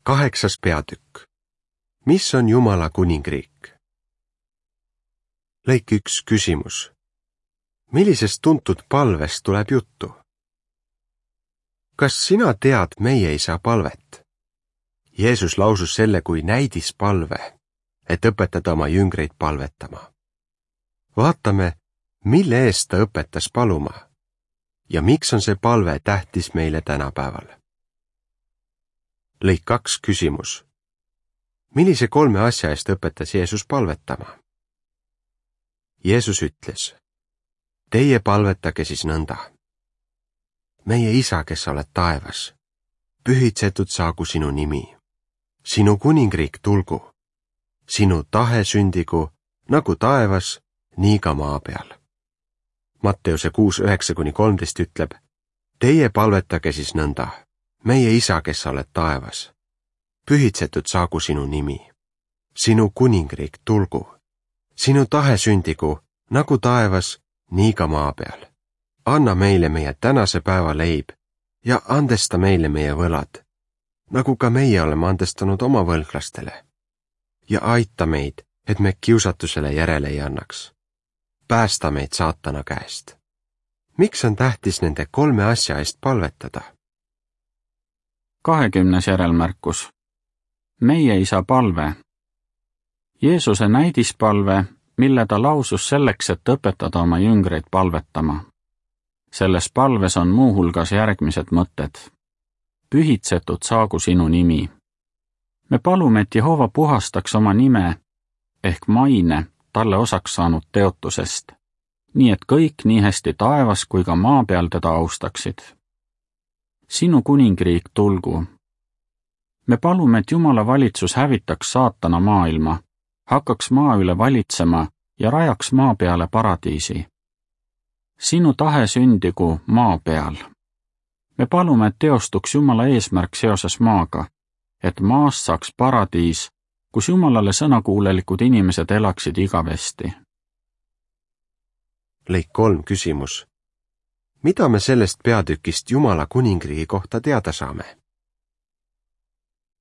8. peatükk. Mis on Jumala kuningriik? Lõik 1 küsimus. Millisest tuntud palvest tuleb juttu? Kas sina tead meie isa palvet? Jeesus lausus selle kui näidispalve, et õpetada oma jüngreid palvetama. Vaatame, mille eest ta õpetas paluma ja miks on see palve tähtis meile tänapäeval. Lõik 2 küsimus. Millise 3 asja eest õpetas Jeesus palvetama? Jeesus ütles, teie palvetage siis nõnda. Meie isa, kes oled taevas, pühitsetud saagu sinu nimi. Sinu kuningriik tulgu. Sinu tahe sündigu, nagu taevas, nii ka maa peal. Matteuse 6:9-13 ütleb, teie palvetage siis nõnda. Meie isa, kes oled taevas, pühitsetud saagu sinu nimi. Sinu kuningriik tulgu. Sinu tahe sündigu, nagu taevas, nii ka maa peal. Anna meile meie tänase päeva leib ja andesta meile meie võlad, nagu ka meie oleme andestanud oma võlglastele. Ja aita meid, et me kiusatusele järele ei annaks. Päästa meid saatana käest. Miks on tähtis nende 3 asja eest palvetada? 20. järelmärkus. Meie isa palve. Jeesuse näidispalve, mille ta lausus selleks, et õpetada oma jüngreid palvetama. Selles palves on muuhulgas järgmised mõtted. Pühitsetud saagu sinu nimi. Me palume, et Jehova puhastaks oma nime ehk maine talle osaks saanud teotusest, nii et kõik nii hästi taevas kui ka maa peal teda austaksid. Sinu kuningriik tulgu. Me palume, et Jumala valitsus hävitaks saatana maailma, hakkaks maa üle valitsema ja rajaks maa peale paradiisi. Sinu tahe sündigu maa peal. Me palume, et teostuks Jumala eesmärk seoses maaga, et maast saaks paradiis, kus Jumalale sõnakuulelikud inimesed elaksid igavesti. Lõik 3 küsimus. Mida me sellest peatükist Jumala kuningriigi kohta teada saame?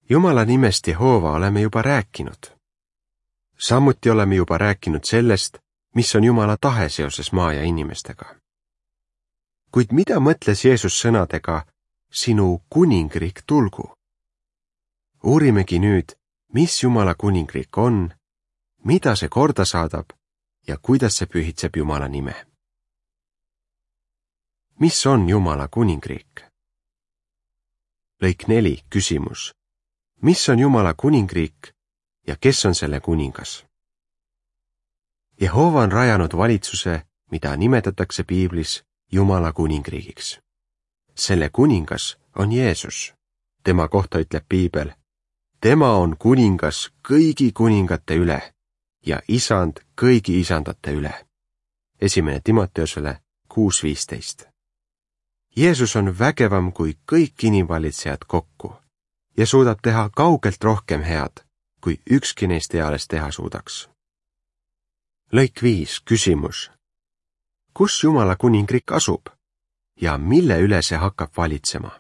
Jumala nimest Jehova oleme juba rääkinud. Samuti oleme juba rääkinud sellest, mis on Jumala tahe seoses maa ja inimestega. Kuid mida mõtles Jeesus sõnadega, sinu kuningriik tulgu? Uurimegi nüüd, mis Jumala kuningriik on, mida see korda saadab ja kuidas see pühitseb Jumala nime. Mis on Jumala kuningriik? Lõik 4 küsimus. Mis on Jumala kuningriik ja kes on selle kuningas? Jehova on rajanud valitsuse, mida nimetatakse piiblis Jumala kuningriigiks. Selle kuningas on Jeesus. Tema kohta ütleb piibel, tema on kuningas kõigi kuningate üle ja isand kõigi isandate üle. 1. Timoteusele 6:15. Jeesus on vägevam kui kõik inimvalitsejad kokku ja suudab teha kaugelt rohkem head, kui ükski neist eales teha suudaks. Lõik 5 küsimus. Kus Jumala kuningriik asub ja mille üle see hakkab valitsema?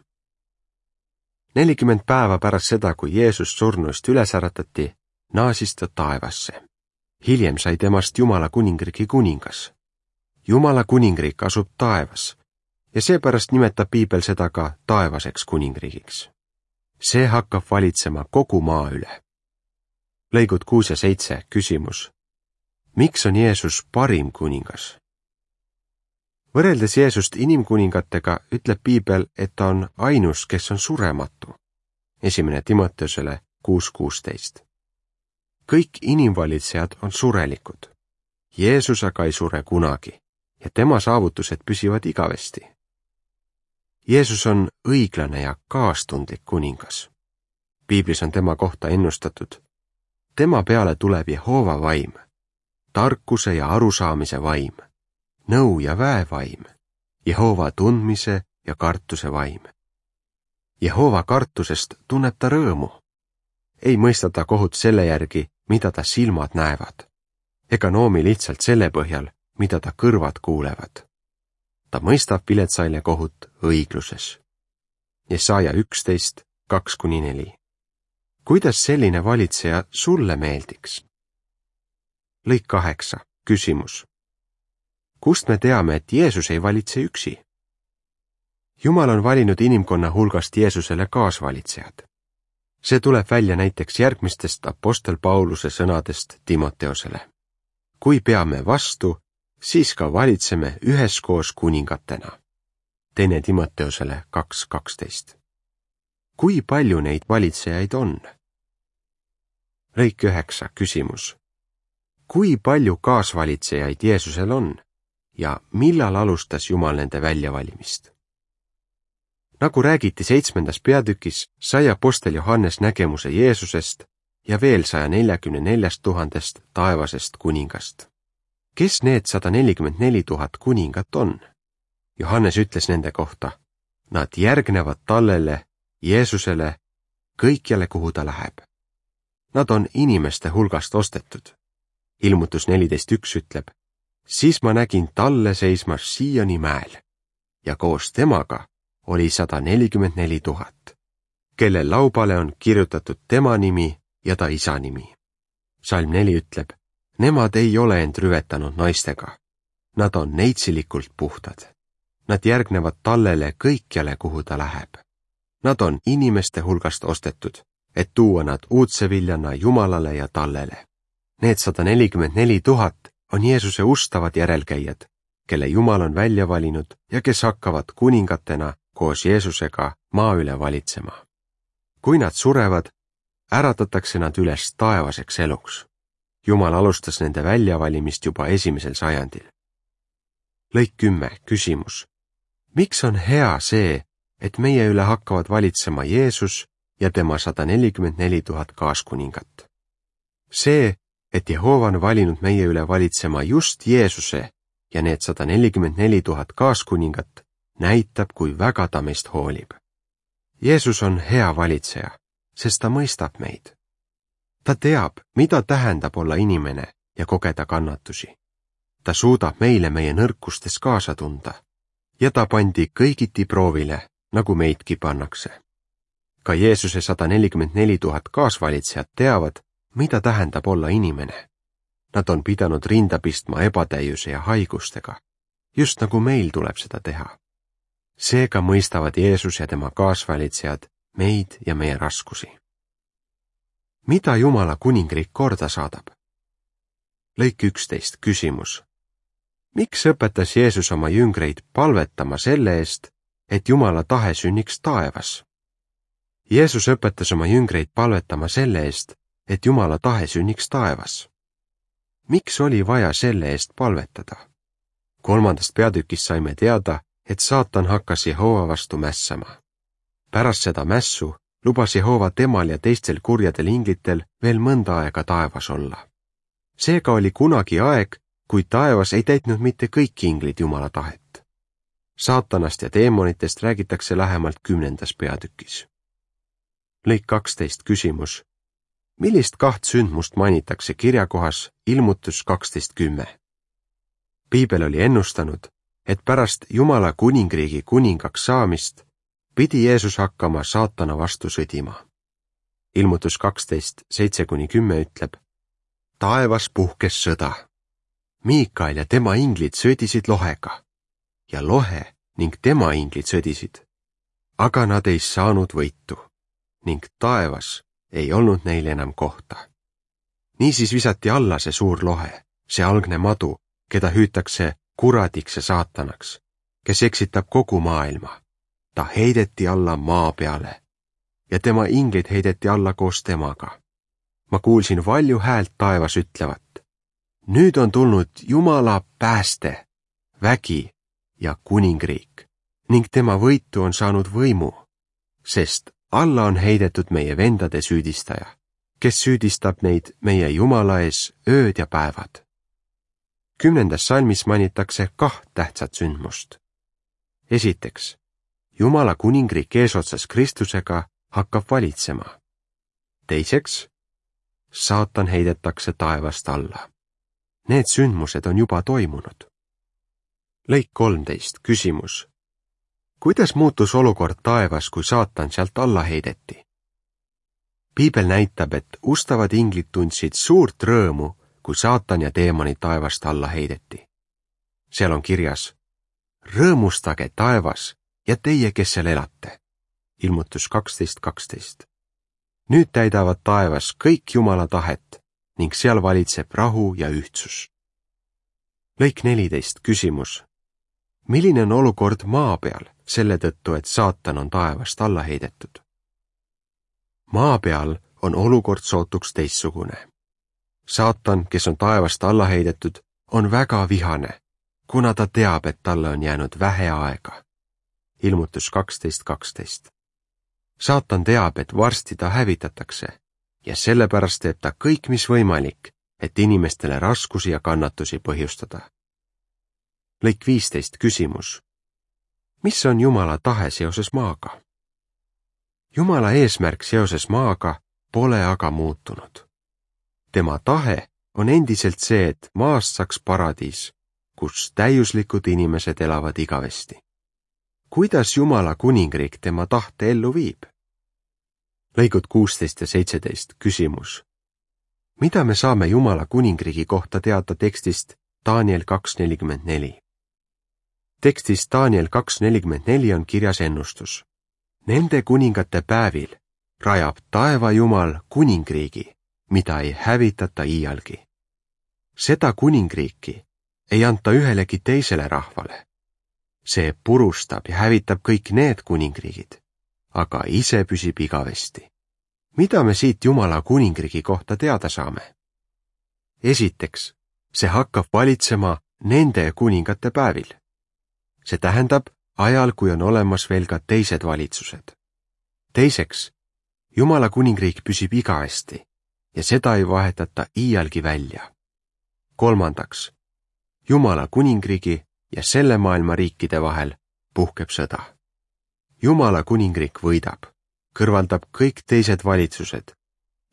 40 päeva pärast seda, kui Jeesus surnuist üles äratati, naasis ta taevasse. Hiljem sai temast Jumala kuningriigi kuningas. Jumala kuningriik asub taevas ja seepärast nimetab piibel seda ka taevaseks kuningriigiks. See hakkab valitsema kogu maa üle. Lõigud 6 ja 7 küsimus. Miks on Jeesus parim kuningas? Võrreldes Jeesust inimkuningatega ütleb piibel, et ta on ainus, kes on surematu. 1. Timoteusele 6:16. Kõik inimvalitsejad on surelikud. Jeesus aga ei sure kunagi ja tema saavutused püsivad igavesti. Jeesus on õiglane ja kaastundlik kuningas. Piiblis on tema kohta ennustatud. Tema peale tuleb Jehova vaim, tarkuse ja arusaamise vaim, nõu ja väevaim, Jehova tundmise ja kartuse vaim. Jehova kartusest tunneb ta rõõmu. Ei mõista ta kohut selle järgi, mida ta silmad näevad, ega noomi lihtsalt selle põhjal, mida ta kõrvad kuulevad. Ta mõistab viletsaile kohut õigluses. Jesaja 11:2-4. kuidas selline valitseja sulle meeldiks? Lõik 8. Küsimus. Kust me teame, et Jeesus ei valitse üksi? Jumal on valinud inimkonna hulgast Jeesusele kaasvalitsejad. See tuleb välja näiteks järgmistest apostel Pauluse sõnadest Timoteosele. Kui peame vastu, siis ka valitseme üheskoos kuningatena. Teine Timoteosele 2.12. Kui palju neid valitsejaid on? Lõik 9. Küsimus. Kui palju kaasvalitsejaid Jeesusel on ja millal alustas Jumal nende väljavalimist? Nagu räägiti 7. peatükis, sai apostel Johannes nägemuse Jeesusest ja veel 144 000 taevasest kuningast. Kes need 144 000 kuningat on? Johannes ütles nende kohta, nad järgnevad tallele, Jeesusele, kõikjale, kuhu ta läheb. Nad on inimeste hulgast ostetud. Ilmutus 14.1 ütleb, siis ma nägin talle seismas Sioni mäel ja koos temaga oli 144 000, kelle laubale on kirjutatud tema nimi ja ta isa nimi. Salm 4 ütleb, nemad ei ole end rüvetanud naistega. Nad on neitsilikult puhtad. Nad järgnevad tallele kõikjale, kuhu ta läheb. Nad on inimeste hulgast ostetud, et tuua nad uudseviljana Jumalale ja tallele. Need 144 000 on Jeesuse ustavad järelkäijad, kelle Jumal on välja valinud ja kes hakkavad kuningatena koos Jeesusega maa üle valitsema. Kui nad surevad, äratatakse nad üles taevaseks eluks. Jumal alustas nende väljavalimist juba 1. sajandil. Lõik 10. Küsimus. Miks on hea see, et meie üle hakkavad valitsema Jeesus ja tema 144 000 kaaskuningat? See, et Jehova on valinud meie üle valitsema just Jeesuse ja need 144 000 kaaskuningat, näitab, kui väga ta meist hoolib. Jeesus on hea valitseja, sest ta mõistab meid. Ta teab, mida tähendab olla inimene ja kogeda kannatusi. Ta suudab meile meie nõrkustes kaasa tunda ja ta pandi kõigiti proovile, nagu meidki pannakse. Ka Jeesuse 144 000 kaasvalitsejad teavad, mida tähendab olla inimene. Nad on pidanud rinda pistma ebatäiuse ja haigustega, just nagu meil tuleb seda teha. Seega mõistavad Jeesus ja tema kaasvalitsejad meid ja meie raskusi. Mida Jumala kuningriik korda saadab? Lõik 11. Küsimus. Miks õpetas Jeesus oma jüngreid palvetama selle eest, et Jumala tahe sünniks taevas? Jeesus õpetas oma jüngreid palvetama selle eest, et Jumala tahe sünniks taevas. Miks oli vaja selle eest palvetada? 3. peatükis saime teada, et saatan hakkas Jehova vastu mässama. Pärast seda mässu lubas Jehova temal ja teistel kurjadel inglitel veel mõnda aega taevas olla. Seega oli kunagi aeg, kui taevas ei täitnud mitte kõik inglid Jumala tahet. Saatanast ja teemonitest räägitakse lähemalt 10. peatükis. Lõik 12. Küsimus. Millist 2 sündmust mainitakse kirjakohas Ilmutus 12.10? Piibel oli ennustanud, et pärast Jumala kuningriigi kuningaks saamist pidi Jeesus hakkama saatana vastu sõdima. Ilmutus 12.7-10 ütleb, taevas puhkes sõda. Miikael ja tema inglid sõdisid lohega ja lohe ning tema inglid sõdisid, aga nad ei saanud võitu ning taevas ei olnud neil enam kohta. Niisiis visati alla see suur lohe, see algne madu, keda hüütakse kuradiks ja saatanaks, kes eksitab kogu maailma. Ta heideti alla maa peale ja tema inglid heideti alla koos temaga. Ma kuulsin valju häält taevas ütlevat, nüüd on tulnud Jumala pääste, vägi ja kuningriik ning tema võitu on saanud võimu, sest alla on heidetud meie vendade süüdistaja, kes süüdistab neid meie Jumala ees ööd ja päevad. 10. salmis mainitakse 2 tähtsat sündmust. Esiteks, Jumala kuningriik eesotsas Kristusega hakkab valitsema. Teiseks, saatan heidetakse taevast alla. Need sündmused on juba toimunud. Lõik 13. Küsimus. Kuidas muutus olukord taevas, kui saatan sealt alla heideti? Piibel näitab, et ustavad inglid tundsid suurt rõõmu, kui saatan ja teemonid taevast alla heideti. Seal on kirjas: rõõmustage taevas ja teie, kes seal elate. Ilmutus 12:12. Nüüd täidavad taevas kõik Jumala tahet ning seal valitseb rahu ja ühtsus. Lõik 14, küsimus. Milline on olukord maa peal selle tõttu, et saatan on taevast alla heidetud? Maa peal on olukord sootuks teistsugune. Saatan, kes on taevast alla heidetud, on väga vihane, kuna ta teab, et talle on jäänud vähe aega. Ilmutus 12:12. Saatan teab, et varsti ta hävitatakse ja sellepärast teeb ta kõik, mis võimalik, et inimestele raskusi ja kannatusi põhjustada. Lõik 15, küsimus. Mis on Jumala tahe seoses maaga? Jumala eesmärk seoses maaga pole aga muutunud. Tema tahe on endiselt see, et maast saaks paradiis, kus täiuslikud inimesed elavad igavesti. Kuidas Jumala kuningriik tema tahte ellu viib? Lõigud 16 ja 17, küsimus. Mida me saame Jumala kuningriigi kohta teada tekstist Daniel 2:44? Tekstis Daniel 2:44 on kirjas ennustus. Nende kuningate päevil rajab taeva Jumal kuningriigi, mida ei hävitata iialgi. Seda kuningriiki ei anta ühelegi teisele rahvale. See purustab ja hävitab kõik need kuningriigid, aga ise püsib igavesti. Mida me siit Jumala kuningriigi kohta teada saame? Esiteks, see hakkab valitsema nende kuningate päevil. See tähendab ajal, kui on olemas veel ka teised valitsused. Teiseks, Jumala kuningriik püsib igavesti ja seda ei vahetata iialgi välja. Kolmandaks, Jumala kuningriigi ja selle maailma riikide vahel puhkeb sõda. Jumala kuningriik võidab, kõrvaldab kõik teised valitsused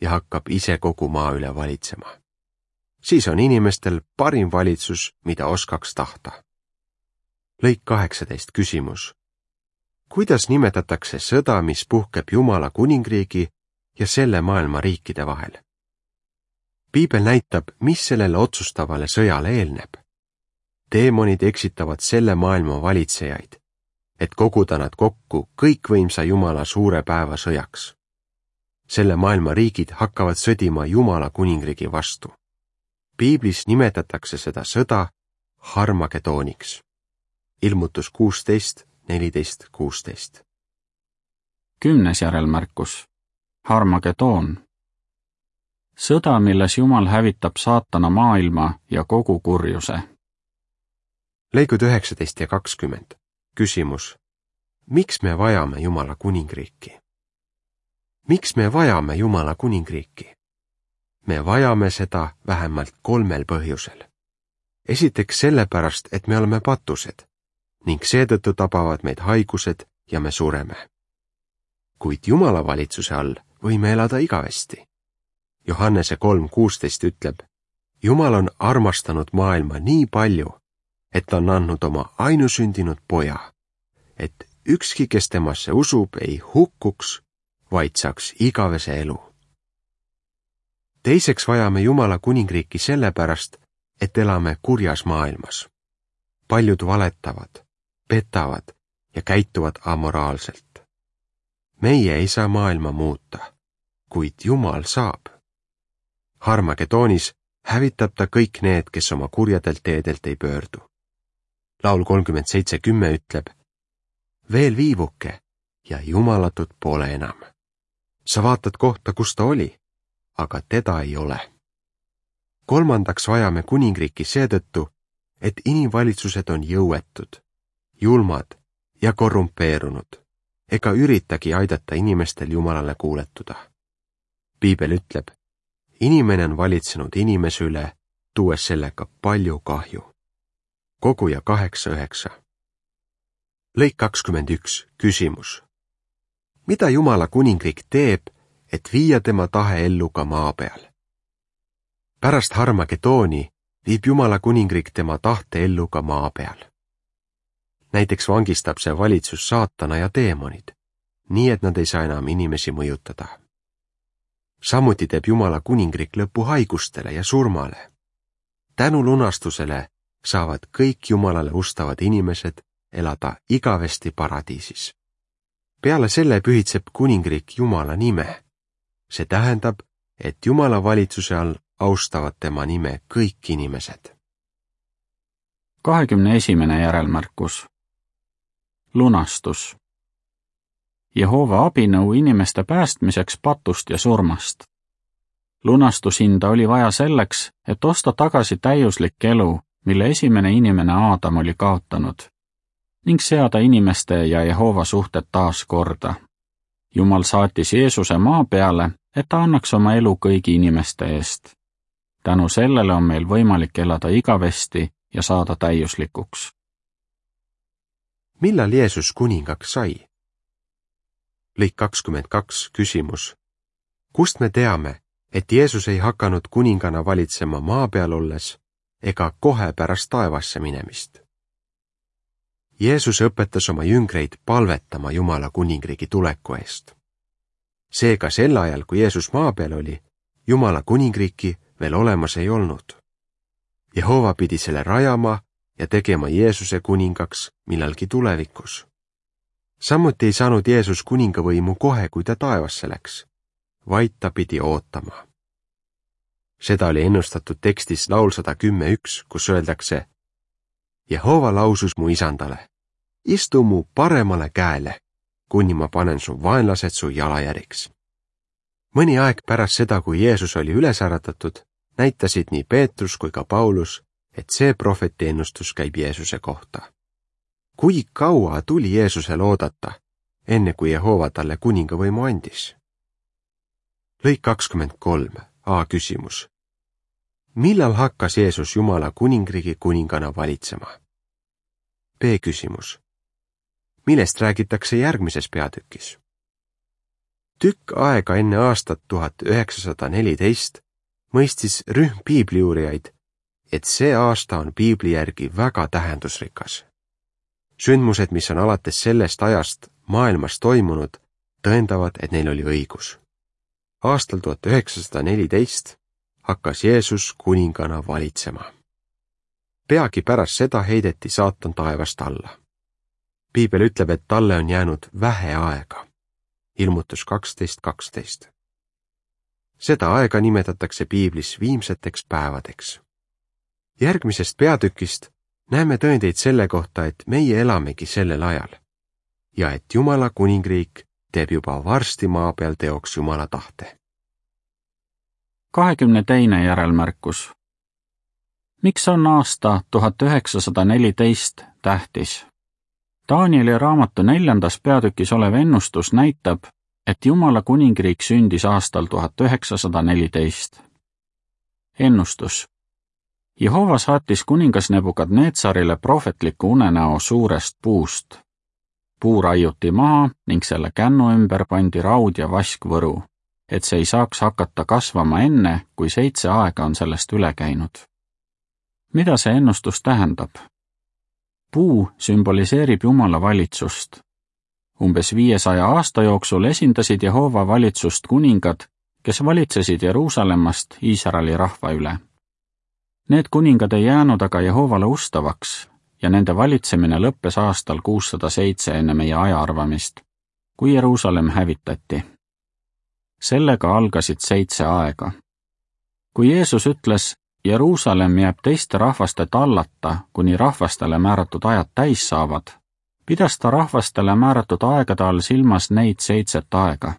ja hakkab ise kogu maa üle valitsema. Siis on inimestel parim valitsus, mida oskaks tahta. Lõik 18, küsimus. Kuidas nimetatakse sõda, mis puhkeb Jumala kuningriigi ja selle maailma riikide vahel? Piibel näitab, mis sellele otsustavale sõjale eelneb. Teemonid eksitavad selle maailma valitsejaid, et koguda nad kokku kõikvõimsa Jumala suure päeva sõjaks. Selle maailma riigid hakkavad sõdima Jumala kuningriigi vastu. Piiblis nimetatakse seda sõda Harmagedooniks. Ilmutus 16:14-16. 10. järelmärkus. Harmagedoon. Sõda, milles Jumal hävitab saatana maailma ja kogu kurjuse. Lõigud 19 ja 20. Küsimus. Miks me vajame Jumala kuningriiki? Miks me vajame Jumala kuningriiki? Me vajame seda vähemalt 3 põhjusel. Esiteks sellepärast, et me oleme patused ning seetõttu tabavad meid haigused ja me sureme. Kuid Jumala valitsuse all võime elada igavesti. Johannese 3:16 ütleb, Jumal on armastanud maailma nii palju, et on andnud oma ainusündinud poja, et ükski, kes temasse usub, ei hukkuks, vaid saaks igavese elu. Teiseks vajame Jumala kuningriiki sellepärast, et elame kurjas maailmas. Paljud valetavad, petavad ja käituvad amoraalselt. Meie ei saa maailma muuta, kuid Jumal saab. Harmagedoonis hävitab ta kõik need, kes oma kurjadelt teedelt ei pöördu. Laul 37:10 ütleb, veel viivuke ja jumalatut pole enam. Sa vaatad kohta, kus ta oli, aga teda ei ole. Kolmandaks vajame kuningriiki seetõttu, et inimvalitsused on jõuetud, julmad ja korrumpeerunud, ega üritagi aidata inimestel Jumalale kuuletuda. Piibel ütleb, inimene on valitsenud inimese üle, tuues sellega palju kahju. Koguja 8:9. Lõik 21, küsimus. Mida Jumala kuningriik teeb, et viia tema tahe ellu ka maa peal? Pärast Harmagedooni viib Jumala kuningriik tema tahte ellu ka maa peal. Näiteks vangistab see valitsus saatana ja teemonid, nii et nad ei saa enam inimesi mõjutada. Samuti teeb Jumala kuningriik lõpu haigustele ja surmale. Tänu lunastusele saavad kõik Jumalale ustavad inimesed elada igavesti paradiisis. Peale selle pühitseb kuningriik Jumala nime. See tähendab, et Jumala valitsuse all austavad tema nime kõik inimesed. 21. järelmärkus. Lunastus. Jehova abinõu inimeste päästmiseks patust ja surmast. Lunastushinda oli vaja selleks, et osta tagasi täiuslik elu, mille esimene inimene Aadam oli kaotanud, ning seada inimeste ja Jehova suhted taas korda. Jumal saatis Jeesuse maa peale, et ta annaks oma elu kõigi inimeste eest. Tänu sellele on meil võimalik elada igavesti ja saada täiuslikuks. Millal Jeesus kuningaks sai? Lõik 22 küsimus. Kust me teame, et Jeesus ei hakanud kuningana valitsema maa peal olles ega kohe pärast taevasse minemist? Jeesus õpetas oma jüngreid palvetama Jumala kuningriigi tuleku eest. Seega sel ajal, kui Jeesus maa peal oli, Jumala kuningriiki veel olemas ei olnud. Jehova pidi selle rajama ja tegema Jeesuse kuningaks millalgi tulevikus. Samuti ei saanud Jeesus kuningavõimu kohe, kui ta taevasse läks, vaid ta pidi ootama. Seda oli ennustatud tekstis laul 110:1, kus öeldakse: Jehova lausus mu isandale, istu mu paremale käele, kuni ma panen su vaenlased su jalajäriks. Mõni aeg pärast seda, kui Jeesus oli üles äratatud, näitasid nii Peetrus kui ka Paulus, et see prohveti ennustus käib Jeesuse kohta. Kui kaua tuli Jeesusel oodata, enne kui Jehova talle kuningavõimu andis? Lõik 23, A küsimus. Millal hakkas Jeesus Jumala kuningriigi kuningana valitsema? B küsimus. Millest räägitakse järgmises peatükis? Tükk aega enne aastat 1914 mõistis rühm piibliuurijaid, et see aasta on piibli järgi väga tähendusrikas. Sündmused, mis on alates sellest ajast maailmas toimunud, tõendavad, et neil oli õigus. Aastal 1914 hakkas Jeesus kuningana valitsema. Peagi pärast seda heideti saatan taevast alla. Piibel ütleb, et talle on jäänud vähe aega. Ilmutus 12:12. Seda aega nimetatakse piiblis viimseteks päevadeks. Järgmisest peatükist näeme tõendeid selle kohta, et meie elamegi sellel ajal ja et Jumala kuningriik teeb juba varsti maa peal teoks Jumala tahte. 22. järelmärkus. Miks on aasta 1914 tähtis? Danieli raamatu 4. peatükis olev ennustus näitab, et Jumala kuningriik sündis aastal 1914. Ennustus. Jehova saatis kuningas Nebukadneetsarile prohvetliku unenäo suurest puust. Puu raiuti maha ning selle kännu ümber pandi raud ja vaskvõru, et see ei saaks hakata kasvama enne, kui 7 aega on sellest üle käinud. Mida see ennustus tähendab? Puu sümboliseerib Jumala valitsust. Umbes 500 aasta jooksul esindasid Jehova valitsust kuningad, kes valitsesid Jeruusalemmast Iisraeli rahva üle. Need kuningad ei jäänud aga Jehovale ustavaks ja nende valitsemine lõppes aastal 607 enne meie ajaarvamist, kui Jeruusalemm hävitati. Sellega algasid 7 aega. Kui Jeesus ütles, Jeruusalemm jääb teiste rahvaste tallata, kuni rahvastele määratud ajad täis saavad, pidas ta rahvastele määratud aegade all silmas neid 7 aega.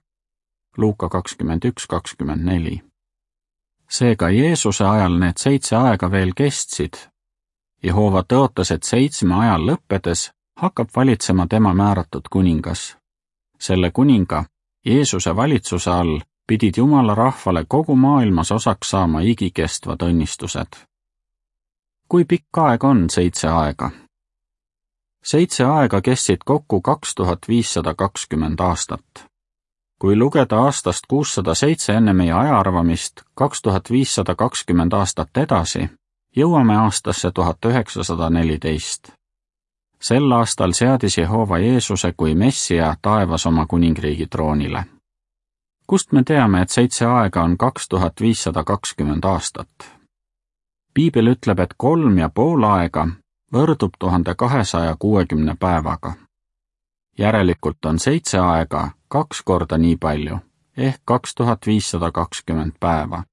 Luuka 21:24. Seega Jeesuse ajal need 7 aega veel kestsid. Jehova tõotas, et 7 ajal lõppedes hakkab valitsema tema määratud kuningas. Selle kuninga, Jeesuse valitsuse all, pidid Jumala rahvale kogu maailmas osaks saama igikestvad õnnistused. Kui pikk aeg on 7 aega? 7 aega kestsid kokku 2520 aastat. Kui lugeda aastast 607 enne meie ajaarvamist 2520 aastat edasi, jõuame aastasse 1914. Sel aastal seadis Jehova Jeesuse kui Messia taevas oma kuningriigi troonile. Kust me teame, et 7 aega on 2520 aastat? Piibel ütleb, et 3,5 aega võrdub 1260 päevaga. Järelikult on 7 aega 2 korda nii palju, ehk 2520 päeva.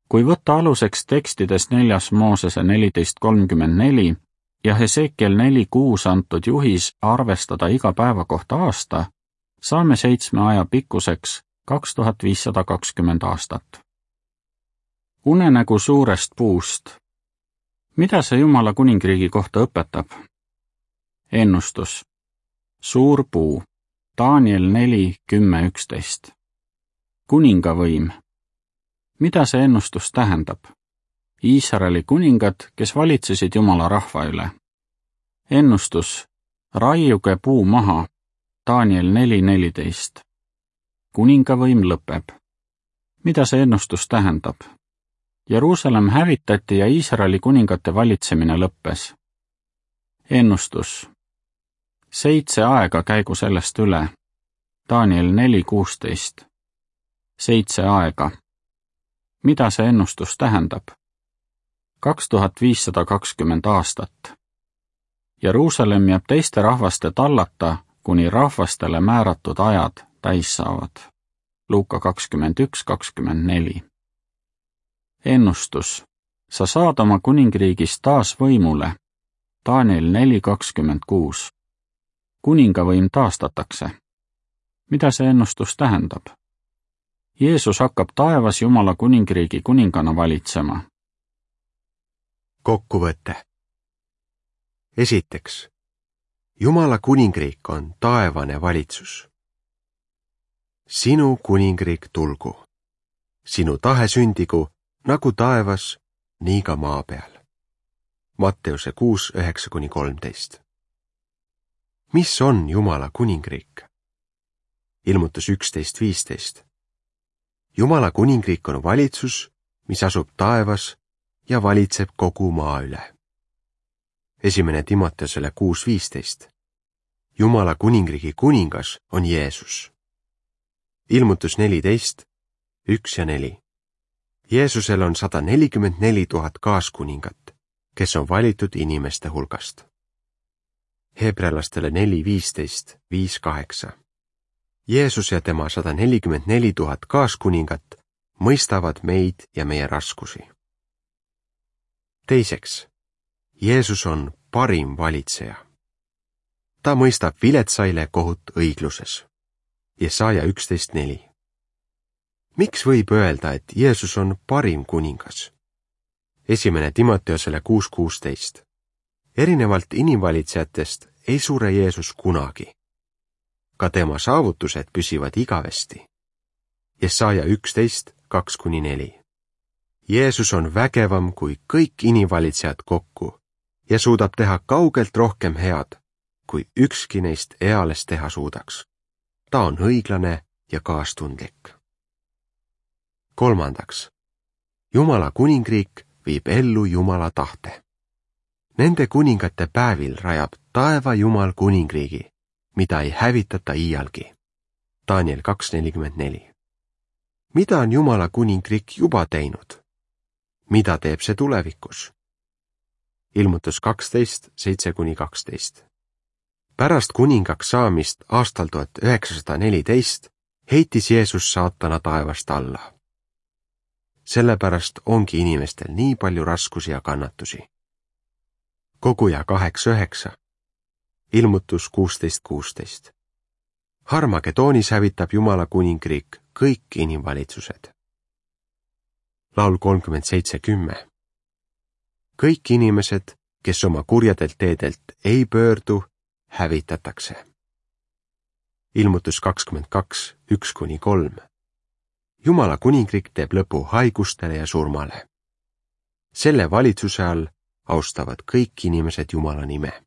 Kui võtta aluseks tekstides 4. Moosese 14:34 ja Hesekiel 4:6 antud juhis arvestada iga päeva kohta aasta, saame 7 aja pikkuseks 2520 aastat. Unenägu suurest puust. Mida see Jumala kuningriigi kohta õpetab? Ennustus. Suur puu. Daniel 4:10-11. Kuningavõim. Mida see ennustus tähendab? Iisraeli kuningad, kes valitsesid Jumala rahva üle. Ennustus. Raiuge puu maha. Daniel 4:14. Kuningavõim lõpeb. Mida see ennustus tähendab? Jeruusalemm hävitati ja Iisraeli kuningate valitsemine lõppes. Ennustus. 7 aega käigu sellest üle. Daniel 4:16. 7 aega. Mida see ennustus tähendab? 2520 aastat. Jeruusalemm jääb teiste rahvaste tallata, kuni rahvastele määratud ajad täis saavad. Luuka 21:24. Ennustus. Sa saad oma kuningriigis taas võimule. Daniel 4:26. Kuningavõim taastatakse. Mida see ennustus tähendab? Jeesus hakkab taevas Jumala kuningriigi kuningana valitsema. Kokkuvõte. Esiteks, Jumala kuningriik on taevane valitsus. Sinu kuningriik tulgu. Sinu tahe sündigu nagu taevas, nii ka maa peal. Matteuse 6:9-13. Mis on Jumala kuningriik? Ilmutus 11:15. Jumala kuningriik on valitsus, mis asub taevas ja valitseb kogu maa üle. 1. Timoteusele 6:15. Jumala kuningriigi kuningas on Jeesus. Ilmutus 14:1-4. Jeesusel on 144 000 kaaskuningat, kes on valitud inimeste hulgast. Hebrealastele 4:15, 5:8. Jeesus ja tema 144 000 kaaskuningat mõistavad meid ja meie raskusi. Teiseks, Jeesus on parim valitseja. Ta mõistab viletsaile kohut õigluses. Jesaja 11:4. Miks võib öelda, et Jeesus on parim kuningas? 1. Timoteusele 6:16. Erinevalt inimvalitsejatest ei sure Jeesus kunagi. Ka tema saavutused püsivad igavesti. Jesaja 11:2-4. Jeesus on vägevam kui kõik inimvalitsejad kokku ja suudab teha kaugelt rohkem head, kui ükski neist eales teha suudaks. Ta on õiglane ja kaastundlik. Kolmandaks, Jumala kuningriik viib ellu Jumala tahte. Nende kuningate päevil rajab taeva Jumal kuningriigi, mida ei hävitata iialgi. Daniel 2:44. Mida on Jumala kuningriik juba teinud? Mida teeb see tulevikus? Ilmutus 12:7-12. Pärast kuningaks saamist aastal 1914 heitis Jeesus saatana taevast alla. Sellepärast ongi inimestel nii palju raskusi ja kannatusi. Koguja 8:9. Ilmutus 16:16. Harmagedoonis hävitab Jumala kuningriik kõik inimvalitsused. Laul 37:10. Kõik inimesed, kes oma kurjadelt teedelt ei pöördu, hävitatakse. Ilmutus 22:1-3. Jumala kuningriik teeb lõpu haigustele ja surmale. Selle valitsuse all austavad kõik inimesed Jumala nime.